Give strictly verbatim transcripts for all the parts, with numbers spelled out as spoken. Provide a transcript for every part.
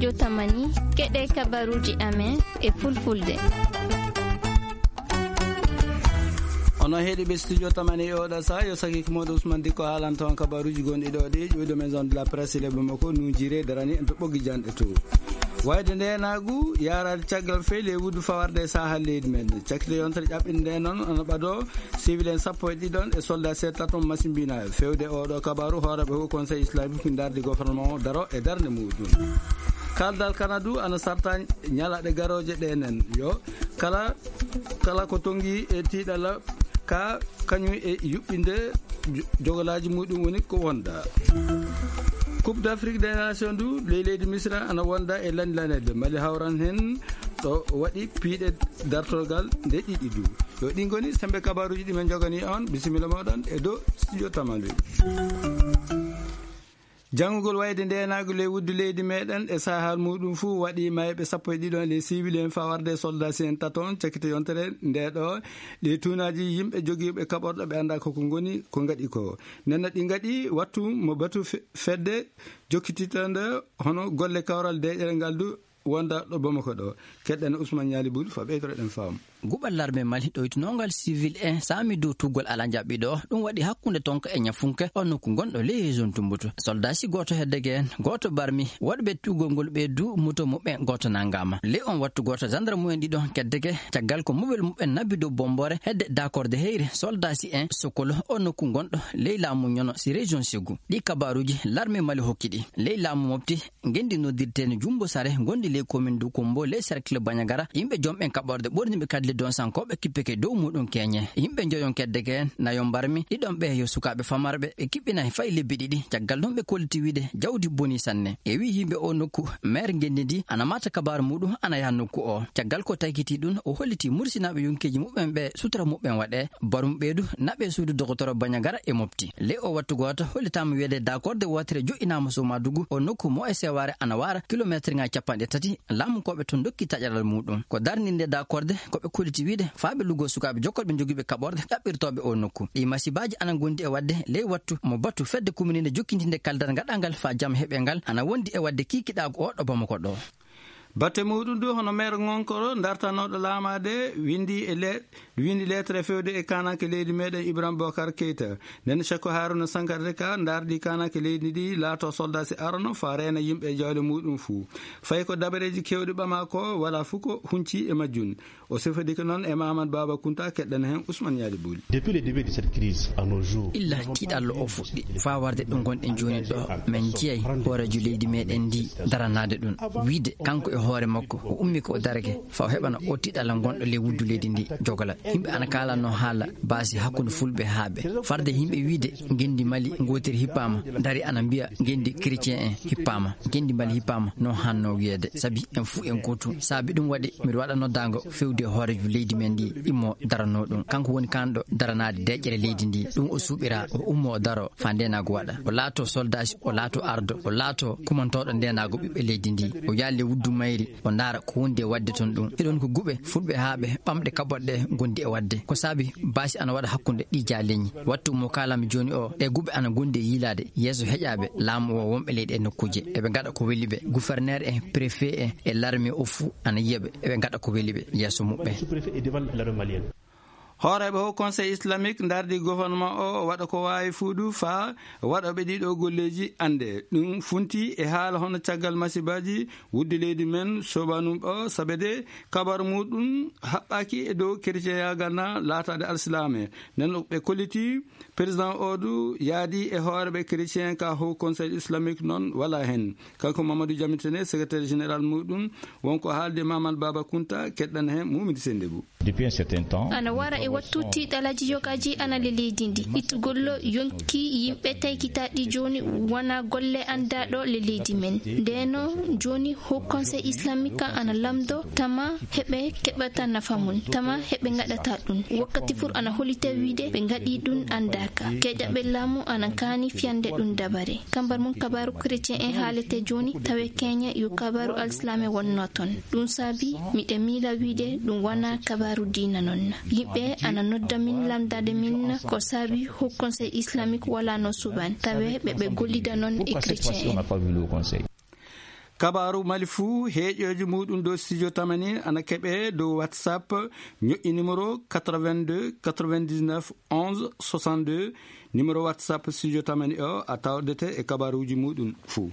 Yo tamani, keɗe kabaruji amen e fulfulde. Ono heɗi ɓe studio tamani e oɗa sa yo saki ko moɗo Ousmane Dikko haalan toon kabaruji gonɗi ɗo ɗi ƴuwɗo maison de la presse le Bamako nujire darani en to ɓoggi janɗe to. Wayde nde nagu yarade caggal fey le wuddu fawarde e sahal leydi men. Cakkite yontere ƴaɓɓinde nde noon ono ɓado civil en sappo e ɗiɗon e soldat seeɗa taton masimbina fewde oɗo kabaru hooreɓe ho conseil islamique darde gouvernement o daro e darde muɗum. Kaldal kanadu ana sarta ñalaɗe garoje ɗe nen yo kala kala ko tongi e tiɗala ka kañum e yuɓɓinde jogolaji muɗum woni ko wonda. Coupe d'Afrique des Nations du ley leydi Misra ana wonda e lani lanede mali hawran hen ɗo waɗi piiɗe dartorgal nde ɗiɗi du. Yo ɗin goni sembe kabaruji ɗi men jogani on bisimilla moɗon e dow studio tamale. Janngugol wayde ndenaagu ley wuddu leydi meɗen e sahal muɗum fuu waɗi mayɓe sappo e ɗiɗon ley siwili en fawarde e soldasi en taton cakkite yontere nde ɗo. Ɗi tuunaji yimɓe jogiiɓe kaɓorɗo ɓe annda koko ngoni ko ngaɗi ko nenna ɗi ngaɗi wattu mo batu fedde jokkititande hono golle kawral deƴere ngal du wonda ɗo Bamako ɗo. Keɗɗen Ousmane Ñaali Bul fa ɓeydoreɗen faamu. Guɓal larme mali ɗoytunongal civil en saami dow tuggol ala jaɓɓiɗo ɗum waɗi hakkunde tonka e ñafunke on nokku gonɗo ley zone tumbutu soldasi goto heddege en goto barmi waɗɓe tuggol ngol ɓe du muto muɓɓen goto nangama ley on wattu goto gendarme mumen ɗiɗo keddege caggal ko muɓel muɓɓen nabbi dow bombore hedde dakorde heyre soldasi en sokolo on nokku gonɗo ley laamu ñono si région segu ɗi kabaruji larme mali hokki ɗi ley laamu mofti ngenndi noddirteeni Jummbo Sare ngonndi ley commune du Kommbo ley cercle Bañagara yimɓe jomɓen kaɓorɗe ɓorniiɓe kadi le donsankooɓe kippeke dow muuɗum keeñe yimɓe njoyon keddeke en nayo mbarmi ɗiɗon ɓe yo sukaaɓe famarɓe ɓe kiɓɓinay fay lebbi ɗiɗi caggal ɗum ɓe kolliti wiide jawdi bonii sanne e wii yimɓe o nokku maire ngenndi ndi ana mata kabaaru muuɗum ana yaha nokku o caggal ko taykitii ɗum o hollitii mursinaaɓe yonkeeji muɓɓen ɓe sutura muɓɓen waɗee barum ɓeydu naɓe suudu dogotoro Bañagara e mofti ley o wattu gooto hollitaama wiyeede dakorde wootere joƴƴinaama Somadugu o nokku mo e sewaare ana waara kilometre ŋaaji capanɗe tati laamunkooɓe toon ndokki taƴaral muuɗum ko darninde dakorde ko ɓe kolliti wiide faaɓe luggo sukaaɓe jokkorɓe jogiiɓe kaɓorɗe ɗaɓɓirtooɓe o nokku ɗi masibaaji ana ngondi e waɗde ley wattu mo batu fedde kumininde jokkintinde kaldal gaɗangal faa jam heɓe ngal ana wondi e waɗde kiikiɗaagu o ɗo Bamako ɗo. Batte muɗum du hono maire ŋonkoro dartanooɗo laamaade windi e le windi lettre fewde e kananke leydi meɗen Ibrahima Bokar Keita nden chako Haruna Sankara ka dardi kananke leydi ndi laato soldasi arano fa reena yimɓe e jawle muɗum fuu fay ko dabareji kewɗi ɓama ko wala fuu ko hunci e majjun o sifodike noon e Mamad Baba Kunta keɗɗen heen Ousmane Ñaali Buli. Depuis le début de cette crise à nos jours illa tiiɗallo o fuɗɗi faa warde ɗo ngonɗen jooni ɗo men njiyay hooreejo leydi meɗen ndi daranaade ɗum wiide kanko e hoore makko o ummi ko o darake faa o heɓana o tiiɗalla ngonɗo ley wuddu leydi ndi jogala yimɓe ana kaalanno haala baasi hakkunde fulɓe haaɓe farde yimɓe wiide ngenndi mali ngootiri hippaama dari ana mbiya ngenndi chrétien en hippaama ngenndi mali hippaama no hanno wiyeede sabi en fuu en gootum saabi ɗum waɗi mbiɗa waɗa noddaango fewde hooreejo leydi men ndi immo daranoo ɗum kanko woni kanɗo daranaade deƴƴere leydi ndi ɗum o suuɓira o ummo o daro faa ndenaagu waɗa o laato soldasi o laato ardo o laato kumantooɗo ndenaagu ɓiɓɓe leydi ndi o yaali wuddu mayri o ndaara ko wondi e waɗde toon ɗum eɗon ko guɓe fulɓe haaɓe ɓamɗe kaɓorɗe gondi e waɗde ko saabi baasi ana waɗa hakkunde ɗi jaaleñi wattu mo kaalami jooni o ɗe guɓe ana gondi e yiilaade yeeso heƴaaɓe laamu o wonɓe ley ɗe nokkuuje eɓe ngaɗa ko weli ɓe gouverneur en préfet en e l'armée o fuu ana yiya ɓe eɓe ngaɗa ko weli ɓe yeeso muɓɓen. Hooreeɓe ho conseil islamique ndardi gouvernement o waɗa ko waawi fuudu faa waɗoɓe ɗiɗo golleeji annde ɗum funti e haala hono caggal masibaaji wudde leydi men sobanum o sabede kabar muɗum haɓɓaki e dow chrétien yagal na laataade alsilaame nden ɓe kolliti président o du yaadi e hooreɓe chrétien ka ho conseil islamique noon wala heen kanko mamadou jamitene secrétaire général muɗum wonko haalde mamal baba kunta keɗɗan heen mumidi sendebou. Depuis un certain temps ana wara e wattu tiiɗalaji yogaji ana le leydi ndi ittugollo yonki yimɓe taykitaɗi joni wona golle andaɗo le leydi men ndeno joni ho conseil islamique ana lamdo tama heɓe keɓata nafa mum tama heɓe gaɗata ɗum wakkati fur ana holita wiide ɓe gaɗi ɗum andaka keƴaɓe laamu ana kaani fiyande ɗum dabare kambar mum kabaru chrétien en haalete joni tawe keñe yo kabaru alislame wonno toon ɗum saabi miɗe miila wiide ɗum wona kabaru diina noon yimɓe ana nodda min lamdade min ko saabi ho conseil islamique wala no suban tawe ɓe ɓe gollida noon e chrétien en Kabaaru Mali fuu, heeƴooji muuɗum dow Studio Tamani ana keɓee dow WhatsApp, ñoƴƴi numéro quatre-vingt-deux quatre-vingt-dix-neuf onze soixante-deux, numéro WhatsApp Studio Tamani o a tawdete e kabaaruuji muuɗum fuu.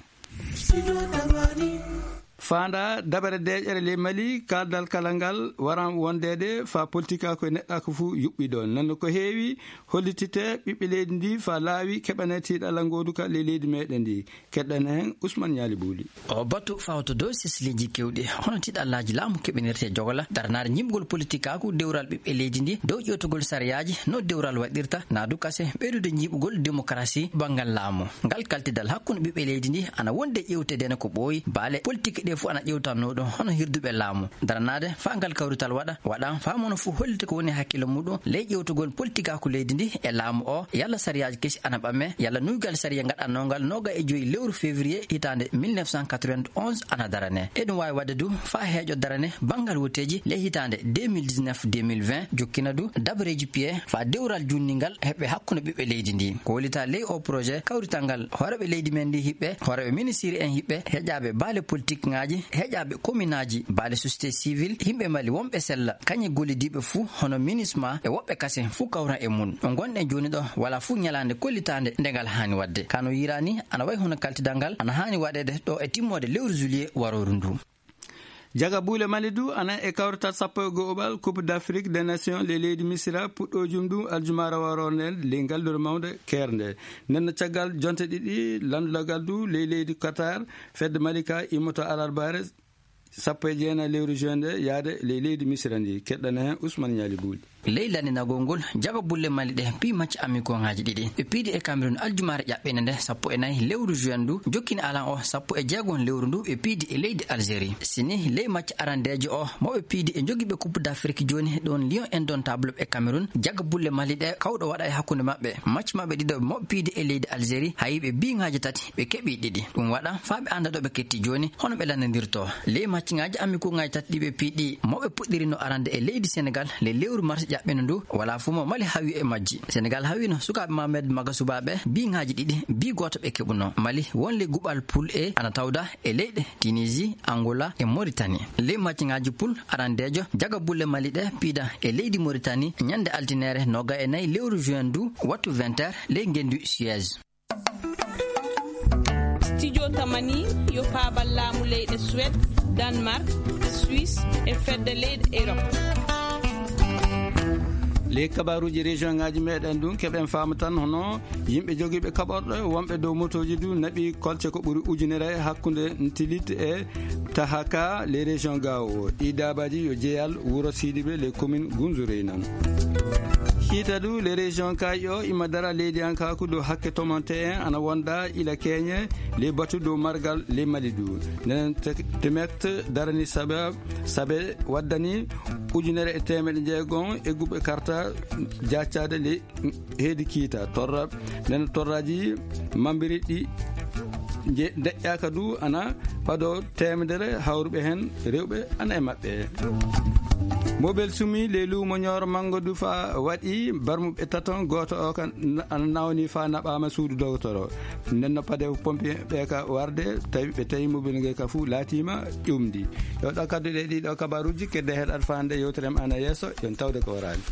Faanda dabare deeƴere ley Mali, kaaldal kala ngal waran wondeede faa politikaaku e neɗɗaaku fuu yuɓɓi ɗoon. Nonno ko heewi hollitite ɓiɓɓe leydi ndi faa laawi keɓane tiiɗalla ngooduka ley leydi meeɗen ndi. Keɗɗen heen Ousmane Ñaali Buuli. O batu fawto dow sesleeji keewɗi, hono tiiɗallaaji laamu keɓinirte jogola, daranaade ñiiɓgol politikaaku dewral ɓiɓɓe leydi ndi, dow ƴeewtugol sariyaaji no dewral waɗirta, naadu kase ɓeydude ñiiɓugol demokarasi banngal laamu. Ngal kaltidal hakkunde ɓiɓɓe leydi ndi ana wonde ƴeewteede ne ko ɓooyi, baale politik ɗe fof ana ƴeewtannoo ɗum hono hirduɓe laamu. Daranaade faa ngal kawrital waɗa, waɗa faa mono fof hollita ko woni hakkille muɗum ley ƴeewtugol politikaaku leydi ndi e laamu o, yalla sariyaaji kesi ana ɓame, yalla nuygal sariya ngaɗannongal nooga e joyi lewru février hitaande mille neuf cent quatre-vingt-onze ana darane. Eɗum waawi waɗde du faa heeƴo darane banngal woteeji ley hitaande deux mille dix-neuf deux mille vingt, jokkina du dabareeji piye faa dewral juutningal heɓe hakkunde ɓiɓɓe leydi ndi. Ko hollitaa ley o projet, kawrital ngal hooreeɓe leydi men ndi hiɓɓe, hooreeɓe ministiri en hiɓɓe, heƴaaɓe baale politik ŋaaji, heƴaaɓe kominaaji, baale société civile, yimɓe Mali wonɓe sella, kañe gollidiiɓe fuu, hono MINUSMA e woɓɓe kasen fuu kawran e mum. Ɗo ngonɗen jooni ɗo, walaa fuu ñalaande kollitaande nde ngal haani waɗde. Ka no yiraani, ana wayi hono kaltidal ngal ana haani waɗeede ɗo e timmoode lewru juillet warooru ndu. Jaga buule Mali du ana e kawrital sappo e go'oɓal Coupe d'Afrique des Nations ley leydi Misira, puɗɗoojum ndu aljumaare waroo nden ley ngallure mawnde keernde. Nden no caggal jonte ɗiɗi lanndogal du ley leydi Qatar, fedde Malika immoto alarbaare sappo e jeenayi lewru juin nde yaade ley leydi Misira ndi. Keɗɗana heen Ousmane Ñaali Buuli. Ley lanndinagol ngol, jaga bulle Mali ɗe pii macce amikoŋaaji ɗiɗi. Ɓe piidi e Cameroun aljumaare ƴaɓɓende nde sappo e nayi lewru juin ndu, jokkini alan o sappo e jeegom lewru ndu ɓe piidi e leydi Algérie. Sini ley macce arandeejo o, mo ɓe piidi e jogiiɓe Coupe d'Afrique jooni ɗoon Lion Indomptable e Cameroun, jaga bulle Mali ɗe kawɗo waɗa e hakkunde maɓɓe. Macce maɓɓe ɗiɗo mo ɓe piidi e leydi Algérie, hayi ɓe biiŋaaji tati, ɓe keɓi ɗiɗi. Ɗum waɗa faa ɓe annda ɗo ɓe ketti jooni, hono ɓe lanndandirtoo. Ley macciŋaaji amikoŋaaji tati ɗi ɓe piɗɗi, mo ɓe puɗɗirino arande e leydi Senegal le lewru mars ƴaɓɓino ndu, walaa fuu mo Mali hawi e majji. Senegal hawino sukaaɓe Mohamed Maga Subaaɓe, biiŋaaji ɗiɗi, bii gooto ɓe keɓuno. Mali won ley guɓal poule E ana tawda e leyɗe Tunisie, Angola e Mauritanie. Ley macciŋaaji poule arandeejo, jaga bulle Mali ɗe piida e leydi Mauritanie ñande altineere nooga e nayi lewru juin ndu, wattu vingt heures, ley ngenndu Suez. Studio Tamani yo paabal laamu leyɗe Suède, Danemark, Suisse e fedde leyɗe Europe. Ley kabaaruuji région ŋaaji meeɗen ɗum keɓen faama tan hono yimɓe jogiiɓe kaɓorɗe wonɓe dow motooji du naɓi kolce ko ɓuri ujunere hakkunde Ntilit e Tahaka, les régions Gao. Ɗi daabaaji yo jeyal wuro Sidibe, les communes Gunzurey nan. Hiita du, les régions Kaaƴo ima dara leydiyankaaku dow hakke tomonte en ana wonda ila keeñe, les batu dow margal, les Mali du. Nden te-, temet darani sabe, sabe waddani ujunere e teemeɗe jeegom e guɓe karta jaccaade les heedi kiita torra, nden torraaji mambiriɗi je-, deƴƴaaka du ana ɓado teemedere hawruɓe heen rewɓe ana e maɓɓe. Mobel sumi le luumo ñooro manngo du faa waɗi barmuɓe taton, gooto o kan na-, ana nawni faa naɓaama suudu dogotoro. Nden no pade pompier ɓe ka warde, tawi ɓe tawi mobel nge ka fuu laatiima ƴumdi. Yo ɗo kaddu ɗe ɗiɗo kabaruuji kedde heɗat faande yewtere am ana yeeso, yon tawde ko waraani.